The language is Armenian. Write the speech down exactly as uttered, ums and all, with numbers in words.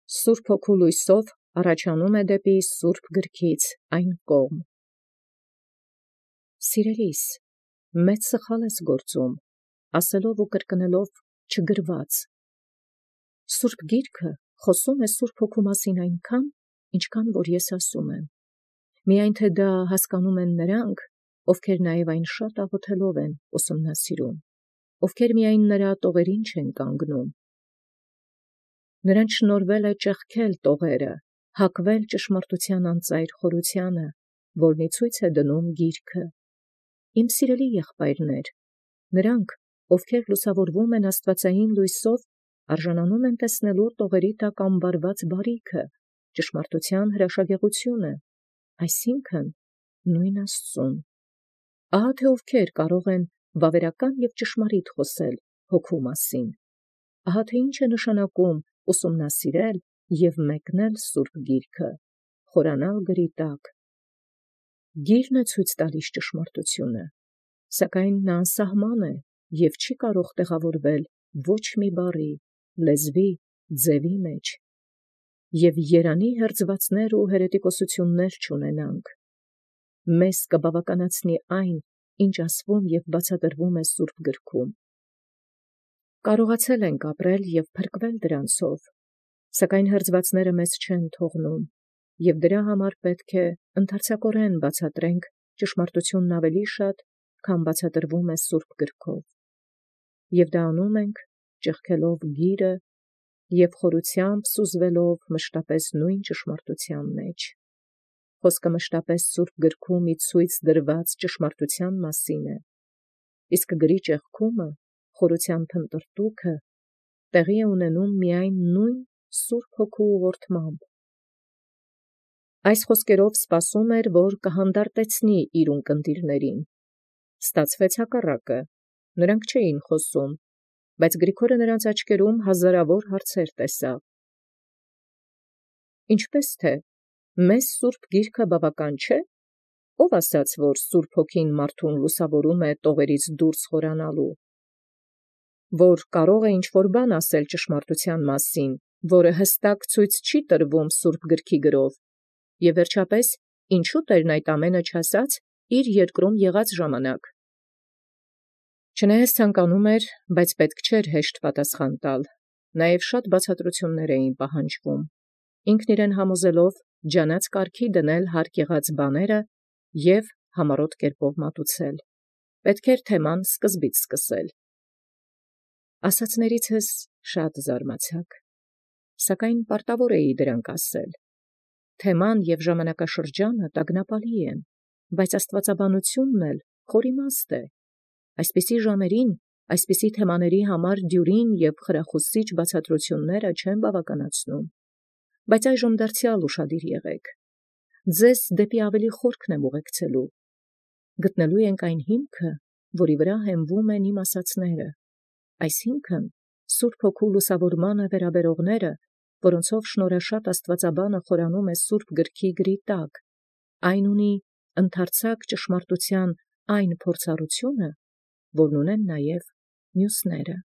Սուրբ Հոգու լույսով առաջանում է դեպի Սուրբ գրքից այն կողմ։ Սիրելիս, մեծ սխալ ես գործում, ասելով ու կրկնելով չգրված։ Սուրբ Գիրքը խոսում է Սուրբ Հոգու մասին այնքան, ինչքան որ ես ասում եմ։ Միայն թե դա հասկանում են նրանք, ովքեր նաև այն շատ աղոթելով են ուսումնասիրում, ովքեր միայն նրա տողերին չեն կանգնում։ Նրանց շնորհվել է ճեղքել տողերը, հակվել ճշմարտության անծայր խորությանը, որն ի ցույց է դնում Գիրքը։ Իմ սիրելի եղբայրներ, նրանք, ովքեր լուսավորվում են աստվածային լույսով, արժանանում են տեսնելու տողերի տակ ամբարված բարիքը, ճշմարտության հրաշագեղությունը, այսինքն նույն Աստծուն։ Ահա թե ովքեր կարող են վավերական և ճշմարիտ խոսել Հոգու մասին։ Ահա թե ինչ է նշանակում ուսումնասիրել և մեկնել Սուրբ Գիրքը, խորանալ գրի տակ։ Գիրն է ցույց տալիս ճշմարտությունը, սակայն նա անսահման է և չի կարող տեղավորվել ոչ մի բառի, լեզվի, ձևի մեջ, և երանի հերձվածներ ու հերետիկոսություններ չունենանք։ Մեզ կբավականացնի այն, ինչ ասվում և բացատրվում է Սուրբ Գրքում։ Կարողացել ենք ապրել և փրկվել դրանցով, սակայն հերձվածները մեզ չեն թողնում, և դրա համար պետք է ընդարձակորեն բացատրենք ճշմարտությունն ավելի շատ, քան բացատրվում է Սուրբ Գրքով, և դա անում ենք ճեղքելով Գիրը և խորությամբ սուզվելով մշտապես նույն ճշմարտության մեջ։ Խոսքը մշտապես Սուրբ Գրքում ի ցույց դրված ճշմարտության մասին է, իսկ գրի ճեղքումը, խորության փնտրտուքը տեղի է ունենում միայն նույն Սուրբ Հոգու ուղղորդմամբ։ Այս խոսքերով սպասում էր, որ կհանդարտեցնի իր ունկնդիրներին։ Ստացվեց հակառակը, նրանք չէին խոսում, բայց Գրիգորը նրանց աչքերում հազարավոր հարցեր տեսավ։ Ինչպես թե, մեզ Սուրբ Գիրքը բավական չէ՞։ Ո՞վ ասաց, որ Սուրբ Հոգին մարդուն լուսավորում է տողերից դուրս խորանալու, որ կարող է ինչ-որ բան ասել ճշմարտության մասին, որը հստակ ցույց չի տրվում Սուրբ Գրքի գրով, և վերջապես, ինչու Տերն այդ ամենը չասաց իր երկրում եղած ժամանակ։ Չնայած ցանկանում էր, բայց պետք չէր հեշտ պատասխան տալ, նաև շատ բացատրություններ էին պահանջվում, ինքն իրեն համոզելով ջանած կարգի դնել հարկ եղած բաները և համառոտ կերպով մատուցել։ Պետք էր թեման սկզբից սկսել։ Ասացներիցս շատ զարմացաք, սակայն պարտավոր էի դրանք ասել։ Թեման և ժամանակաշրջանը տագնապալի են, բայց աստվածաբանությունն էլ խորիմաստ է։ Այսպիսի ժամերին, այսպիսի թեմաների համար դյուրին և խրախուսիչ բացատրությունները չեն բավականացնում, բայց այժմ դարձյալ ուշադիր եղեք։ Ձեզ դեպի ավելի խորքն եմ ուղեկցելու։ Գտնելու ենք այն հիմքը, որի վրա հենվում են իմ ասացները, այսինքն Սուրբ Հոգու լուսավորմանը վերաբերողները, որոնցով շնորհաշատ աստվածաբանը խորանում է Սուրբ Գրքի գրի տակ, այն ունի ընդարձակ ճշմարտության այն փորձառությունը, որն ունեն նաև մյուսները։